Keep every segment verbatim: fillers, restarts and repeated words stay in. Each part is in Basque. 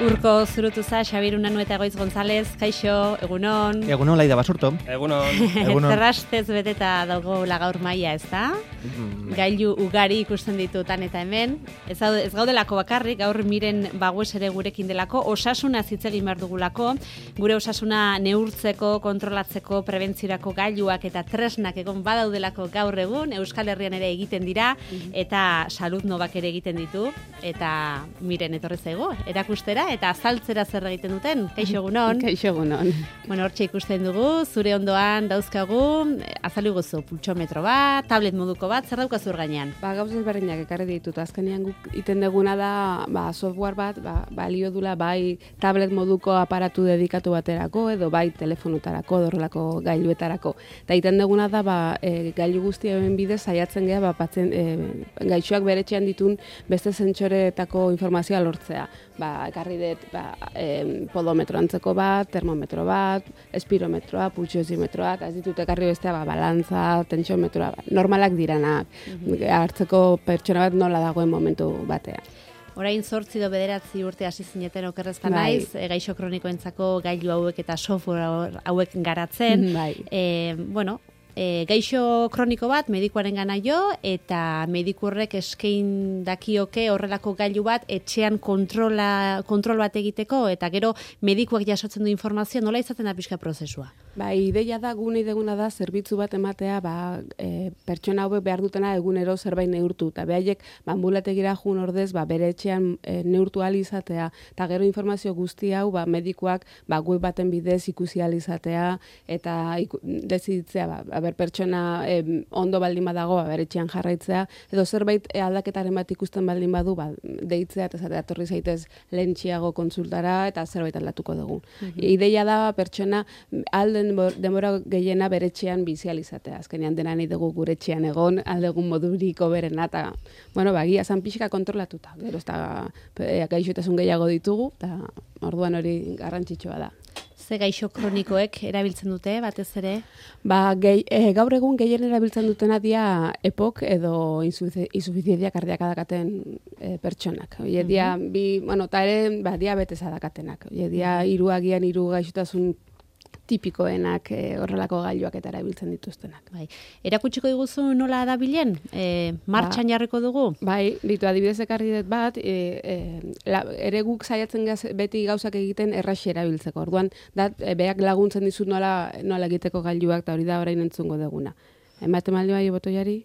Urko zurutuza, Xabier Unanu eta Goiz González, kaixo, egunon. Egunon, Laida Basurto. Egunon. Egunon. Zerrastez beteta dago gaur maila, ez da? Mm. Gailu ugari ikusten ditutan eta hemen. Ez, ez gaudelako bakarrik, gaur miren bagues ere gurekin delako, osasuna hitz egin behar dugulako, gure osasuna neurtzeko, kontrolatzeko, prebentziorako gailuak eta tresnak egon badaudelako gaur egun, Euskal Herrian ere egiten dira, eta Salud Novak ere egiten ditu, eta miren etorri zaigu, erakustera, eta azaltzera zer egiten duten. Kaixo egunon. Kaixo egunon. Bueno, hortxe ikusten dugu, zure ondoan dauzkagu, azaldu guzu, pultsometro bat, tablet moduko bat, zer daukazu hor gainean? Ba, gauz ezberdinak ekarri ditut. Azkenean guk iten deguna da, ba, software bat, ba, balio dula bai tablet moduko aparatu dedikatu baterako, edo bai telefonutarako, dorrelako gailuetarako. Eta iten deguna da, ba, e, gailu guztien bidez saiatzen geha, ba, patzen, e, gaixoak beretxean ditun beste zentsoretako informazioa lortzea. Ba, ekarri dut ba, e, podometro antzeko bat, termometro bat, espirometroa, pultsiozimetroa, eta ez ditut ekarri bestea ba, balantza, tentsiometroa, ba, normalak diranak, mm-hmm. hartzeko pertsona bat nola dagoen momentu batean. Orain zortzi do bederatzi urte hasi zineten okerrezta naiz, e, gaixo kronikoentzako gailu hauek eta software hauek garatzen. Bai. E, bueno, E, gaixo kroniko bat medikuaren gana jo, eta medikurrek eskein dakioke horrelako gailu bat etxean kontrola, kontrol bat egiteko, eta gero medikuak jasotzen du informazioa, nola izaten da pixka prozesua? Ba, ideia da, gune ideguna da, zerbitzu bat ematea, ba, e, pertsona hauek behar dutena egunero zerbait neurtu, eta behaiek, ba, ambulategira jun ordez, ba, bere etxean e, neurtu ahal izatea, eta gero informazio guzti hau, ba, medikuak, ba, web baten bidez ikusi ahal izatea, eta iku, dezitzea, ba, ber pertsona eh, ondo baldin badago, ba, bere etxean jarraitzea, edo zerbait e, aldaketaren bat ikusten baldin badu, ba, deitzea, eta zatea torri zaitez lehentxiago kontsultara, eta zerbait aldatuko dugu. Mm-hmm. Ideia da, pertsona alden denbora gehiena bere etxean bizializatea. Azkenean dena nahi dugu gure etxean egon, aldegun moduriko berena, eta, bueno, ba, gia zan pixka kontrolatuta. Gero ez da, e, gaixotasun gehiago ditugu, eta orduan hori garrantzitsua da. Ze gaixo kronikoek erabiltzen dute, batez ere? Ba, gehi, e, gaur egun gehien erabiltzen dutena dia E P O C edo insufizientzia kardiaka dakaten e, pertsonak. Oie dia, mm-hmm. bi, bueno, eta ere, ba, diabetesa dakatenak. Oie dia, hiru agian hiru gaixotasun tipikoenak e, horrelako gailuak eta erabiltzen dituztenak. Bai. Erakutsiko diguzu nola dabilen? E, martxan ba, jarriko dugu? Bai, ditu adibidez ekarri dut bat, e, e, la, ere guk saiatzen gaz, beti gauzak egiten erraxi erabiltzeko. Orduan, dat, e, beak laguntzen dizut nola, nola egiteko gailuak, eta hori da orain entzungo duguna. Ematen maldi bai, botoiari?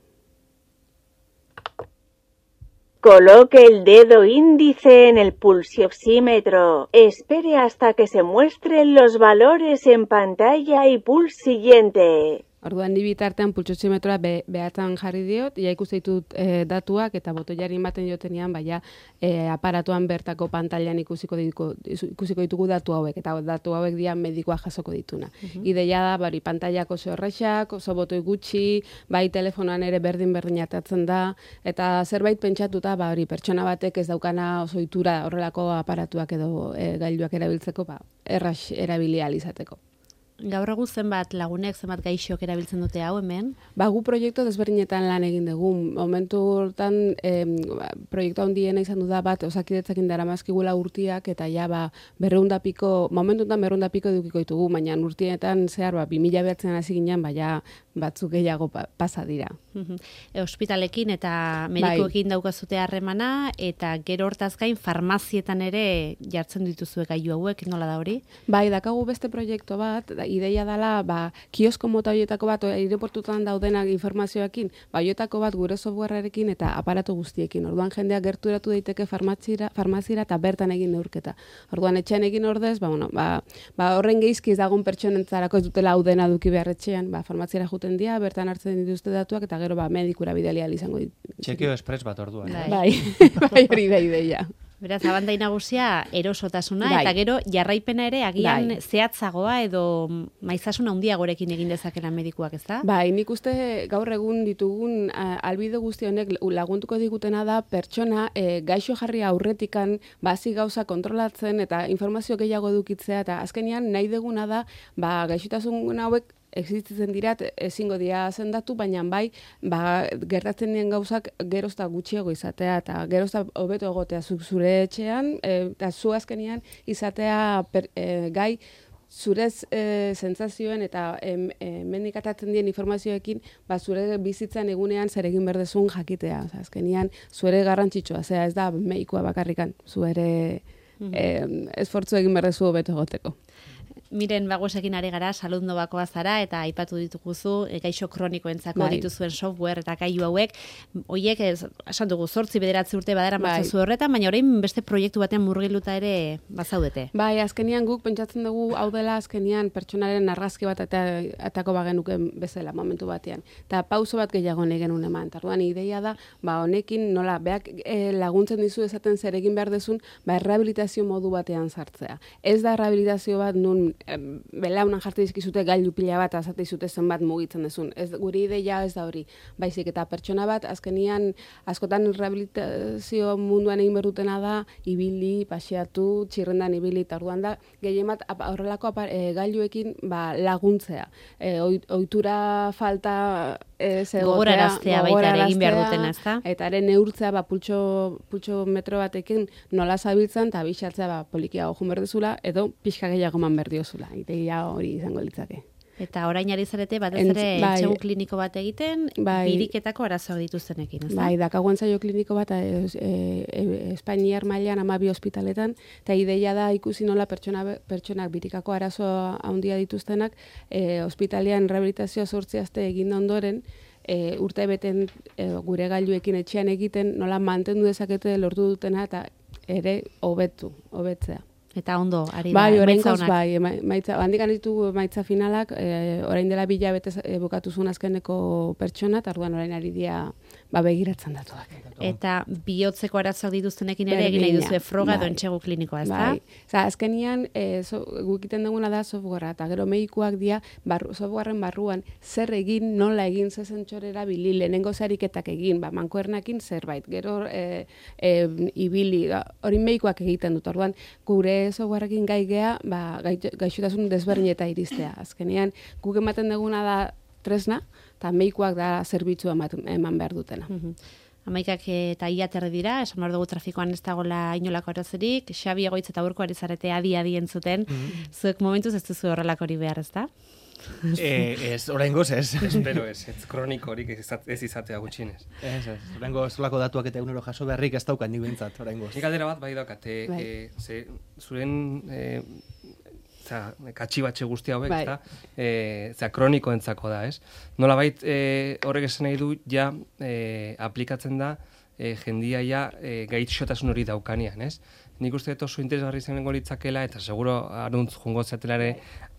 Coloque el dedo índice en el pulsioxímetro. Espere hasta que se muestren los valores en pantalla y pulse siguiente. Orduan ni bitartean pultsioximetroa be, behatzen jarri diot, ja ikusi ditut e, datuak eta botoiari ematen jotenean baina e, aparatuan bertako pantailan ikusiko ditugu, ikusiko ditugu datu hauek eta datu hauek dira medikoa jasoko dituna. Uh-huh. Ideia da bari pantailak oso erraxak, oso botoi gutxi, bai telefonoan ere berdin berdin atatzen da eta zerbait pentsatuta ba hori pertsona batek ez daukana oso ohitura horrelako aparatuak edo e, gailuak erabiltzeko ba errax erabili ahal izateko. Gaur egun zenbat lagunek, zenbat gaixok erabiltzen dute hau hemen? Ba, gu proiektu desberdinetan lan egin dugu. Momentu hortan, eh, proiektu handiena izan du da bat, osakidetzakin dara mazkigula urtiak, eta ja, ba, berreundapiko, momentu honetan berreundapiko dukiko ditugu, baina urtienetan zehar, ba, bi mila behatzen hasi ginen, baina batzuk gehiago pa, pasa dira. E, hospitalekin eta medikoekin bai. Daukazute harremana, eta gero hortaz gain farmazietan ere jartzen dituzue gailu hauek, nola da hori? Bai, dakagu beste proiektu bat, da, ideia dela, ba, kiosko mota horietako bat, aireportutan daudenak informazioekin, ba, horietako bat gure softwarearekin eta aparatu guztiekin. Orduan jendeak gerturatu daiteke farmaziera, farmaziera eta bertan egin neurketa. Orduan etxean egin ordez, ba, bueno, ba, ba, horren geizkiz dagoen pertsonentzarako ez dutela hau dena duki beharretxean, ba, farmaziera juten dira, bertan hartzen dituzte datuak eta gero ba, medikura bidali ahal izango ditu. Txekio espres bat orduan. Bai, bai hori da ideia. Beraz, abandai nagusia erosotasuna, bai. Eta gero jarraipena ere agian bai. Zehatzagoa edo maizasuna handiagorekin egin dezakela medikuak, ez da? Bai, nik uste gaur egun ditugun albide guzti honek laguntuko digutena da pertsona e, gaixo jarri aurretikan bazi gauza kontrolatzen eta informazio gehiago edukitzea eta azkenean nahi deguna da ba, gaixotasun hauek existitzen dirat, ezingo dira zendatu, baina bai, ba, gertatzen dien gauzak gerozta gutxiago izatea, eta gerozta hobeto egotea zuk zure etxean, eta zu azkenian izatea per, e, gai, zurez e, sentsazioen eta hemendik e, atatzen dien informazioekin, ba, zure bizitzan egunean zer egin berdezun jakitea. Oza, azkenian, zure garrantzitsua, zera ez da medikua bakarrikan, zuere mm -hmm. e, esfortzu egin berdezu hobeto egoteko. Miren Baguesekin ari gara, salud nobakoa zara, eta aipatu dituguzu, e, gaixo kronikoentzako bai. dituzuen software eta gailu hauek, hoiek, esan dugu, zortzi bederatzi urte badara bai. matzazu horretan, baina orain beste proiektu batean murgiluta ere bazaudete. Bai, azkenian guk pentsatzen dugu hau dela azkenian pertsonaren argazki bat eta atako bagenuken bezala momentu batean. Eta pauso bat gehiago nahi genuen eman. Tarduan ideia da, ba honekin nola, beak e, laguntzen dizu esaten zer egin behar dezun, ba errehabilitazio modu batean sartzea. Ez da errehabilitazio bat nun belaunan jartzen dizkizute gailu pila bat azate izute zenbat mugitzen dezun. Ez, guri ideia ez da hori. Baizik eta pertsona bat azkenian askotan rehabilitazio munduan egin berdutena da ibili, paseatu, txirrendan ibili, eta orduan da gehien bat horrelako e, gailuekin ba, laguntzea. E, ohitura falta e, gogoraraztea baita ere egin behar dutena, ezta? Eta ere neurtzea ba, pultxo, pultxo metro batekin nola zabiltzen, eta bisatzea ba, polikiago jun berdezula, edo pixka gehiago man berdiozula. Ideia hori izango litzake. Eta orain ari zarete, batez ere bai, entzegu kliniko bat egiten, bai, biriketako arazoak dituztenekin, ez da? Bai, dakago ensaio kliniko bat e, e, Espainiar mailan hamabi ospitaletan, eta ideia da ikusi nola pertsona, pertsonak birikako arazo handia dituztenak, e, ospitalean rehabilitazioa zortzi aste egin ondoren, e, urte beten e, gure gailuekin etxean egiten, nola mantendu dezakete lortu dutena, eta ere hobetu, hobetzea. Eta ondo, ari bai, da, maitza honak. Bai, maitza, handik anitu maitza finalak, e, orain dela bila bete e, bukatu zuen azkeneko pertsona, eta orduan orain ari dia ba, begiratzen datuak. Eta bihotzeko arazoak dituztenekin ere egin nahi duzu froga edo entsegu klinikoa, ez da? Bai, Oza, azkenian e, so, gukiten duguna da softwarea, eta gero medikuak dia barru, softwaren barruan zer egin, nola egin, zezentxorera bili, lehenengo zariketak egin, ba, mankuernakin zerbait, gero e, e, ibili, hori medikuak egiten dut, orduan gure softwareekin gai gea, ba, gaixotasun desberdineta iristea. Azkenean, guk ematen duguna da tresna, eta medikuak da zerbitzua eman behar dutena. Mm-hmm. Amaikak eta iaterri dira, esan behar dugu trafikoan ez dagoela inolako arazorik, Xabi Egoitz eta Urko ari zarete adi-adi entzuten, mm-hmm. zuek momentuz ez duzu horrelako hori behar, ez da? eh, ez, oraingoz ez, espero ez, ez kronikorik ez izatea gutxienez. Ez, ez, oraingoz solako datuak eta egunero jaso beharrik ez daukat nik behintzat, oraingoz. Nik aldera bat bai daukat, e, bai. e, ze, zuren e, za, katxibatxe guzti hauek, bai. Eta, e, za, kronikoentzako da, ez? Nolabait e, horrek esan nahi du, ja, e, aplikatzen da, e, jendia ja e, gaitxotasun hori daukanean, ez? Nik uste dut oso interesgarri izango litzakela, eta seguro aruntz jungo zatela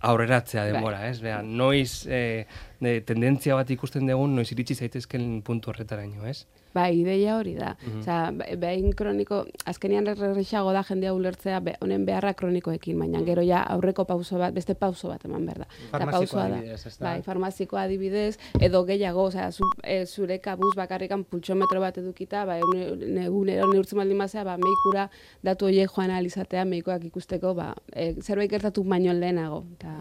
aurreratzea denbora, ez? Bea, noiz e, de, tendentzia bat ikusten dugun, noiz iritsi zaitezken puntu horretaraino, ez? Bai, ideia hori da. Mm-hmm. Osea, behin kroniko, azkenian errexago da jendea ulertzea be, honen beharra kronikoekin, baina gero ja aurreko pauso bat, beste pauso bat eman behar da. Farmazikoa adibidez, ez da? Bai, farmazikoa adibidez, edo gehiago, osea, zu, e, zure kabuz bakarrikan pultsometro bat edukita, ba, egunero neurtzen baldin bazea, ba, meikura datu horiek joan alizatea, meikoak ikusteko, ba, e, zerbait gertatu baino lehenago, eta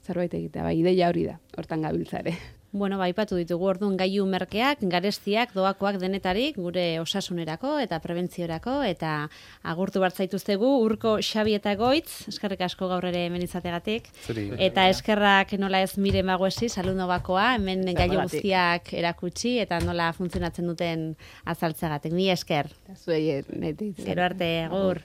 zerbait egitea, ba, ideia hori da, hortan gabiltzare. Bueno, ba, aipatu ditugu orduan gailu merkeak, garestiak, doakoak denetarik, gure osasunerako eta prebentziorako, eta agurtu bartzaituztegu, Urko, Xabi eta Goitz, eskerrik asko gaur ere hemen izategatik, eta eskerrak nola ez Miren Baguesi, salud nobakoa, hemen gailu guztiak erakutsi, eta nola funtzionatzen duten azaltzegatik. Ni esker. Zuei, neti. Gero arte, agur.